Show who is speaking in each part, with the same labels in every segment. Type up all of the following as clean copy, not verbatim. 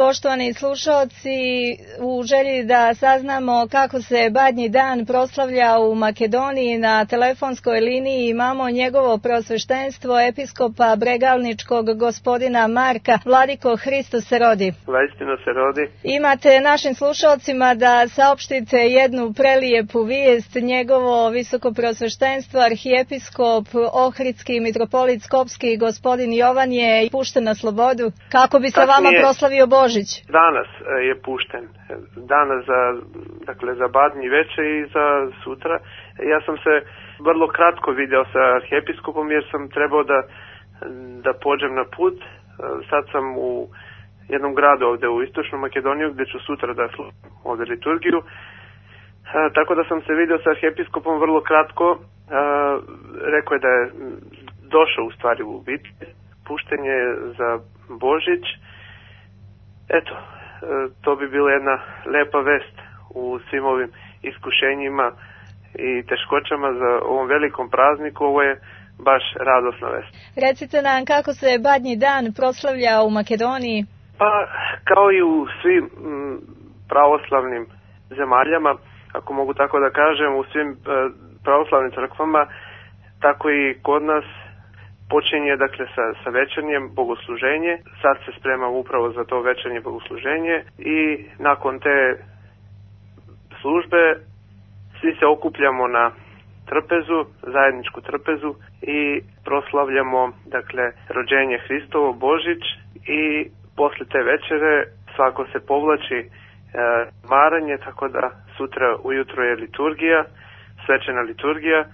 Speaker 1: poštovani slušaoci, u želji da saznamo kako se Badnji dan proslavlja u Makedoniji, na telefonskoj liniji imamo njegovo preosveštenstvo episkopa Bregalničkog gospodina Marka. Vladiko, Hristos se rodi.
Speaker 2: Vaistinu se rodi.
Speaker 1: Imate našim slušaocima da saopštite jednu prelijepu vijest. Njegovo visoko preosveštenstvo arhijepiskop Ohridski mitropolit Skopski gospodin Jovan je pušten na slobodu. Kako bi se vama proslavio Božić?
Speaker 2: Danas je pušten. Danas za Badnji veče i za sutra. Ja sam se vrlo kratko video sa arhijepiskopom jer sam trebao da pođem na put. Sad sam u jednom gradu ovdje u Istočnom Makedoniju gdje ću sutra da slušam ovdje liturgiju. Tako da sam se video sa arhijepiskopom vrlo kratko. Rekao je da je došao u stvari u biti. Pušten je za Božić. Eto, to bi bila jedna lepa vest u svim ovim iskušenjima i teškoćama za ovom velikom prazniku. Ovo je baš radosna vest.
Speaker 1: Recite nam kako se Badnji dan proslavlja u Makedoniji?
Speaker 2: Pa, kao i u svim pravoslavnim zemaljama, ako mogu tako da kažem, u svim pravoslavnim crkvama, tako i kod nas počinje sa večernjem bogosluženje. Sad se spremamo upravo za to večernje bogosluženje i nakon te službe svi se okupljamo na trpezu, zajedničku trpezu i proslavljamo rođenje Hristovo, Božić, i posle te večere svako se povlači maranje, tako da sutra ujutro je liturgija, svečana liturgija.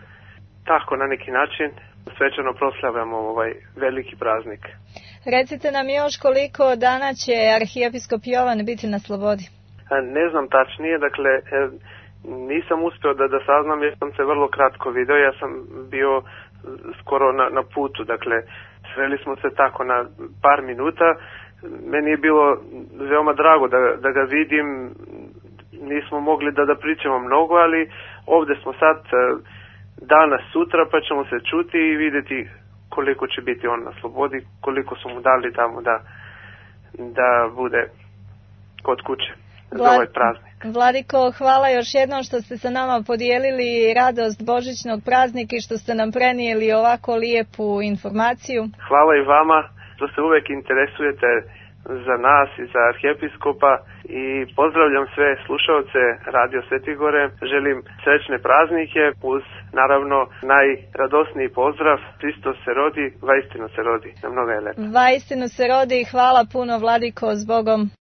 Speaker 2: Tako na neki način svečano proslavljamo ovaj veliki praznik.
Speaker 1: Recite nam još koliko dana će arhijepiskop Jovan biti na slobodi?
Speaker 2: Ne znam tačnije, nisam uspio da saznam jer sam se vrlo kratko video, ja sam bio skoro na putu, sveli smo se tako na par minuta. Meni je bilo veoma drago da ga vidim, nismo mogli da pričamo mnogo, ali ovdje smo sad danas, sutra, pa ćemo se čuti i vidjeti koliko će biti on na slobodi, koliko su mu dali tamo da bude kod kuće za ovaj praznik.
Speaker 1: Vladiko, hvala još jednom što ste sa nama podijelili radost božićnog praznika i što ste nam prenijeli ovako lijepu informaciju.
Speaker 2: Hvala i vama što se uvek interesujete za nas i za arhijepiskopa i pozdravljam sve slušaoce Radio Svetigore. Želim srećne praznike uz naravno najradosniji pozdrav: Hristos se rodi, vaistinu se rodi. Na mnogo je lepo.
Speaker 1: Vaistinu se rodi i hvala puno, Vladiko, s Bogom.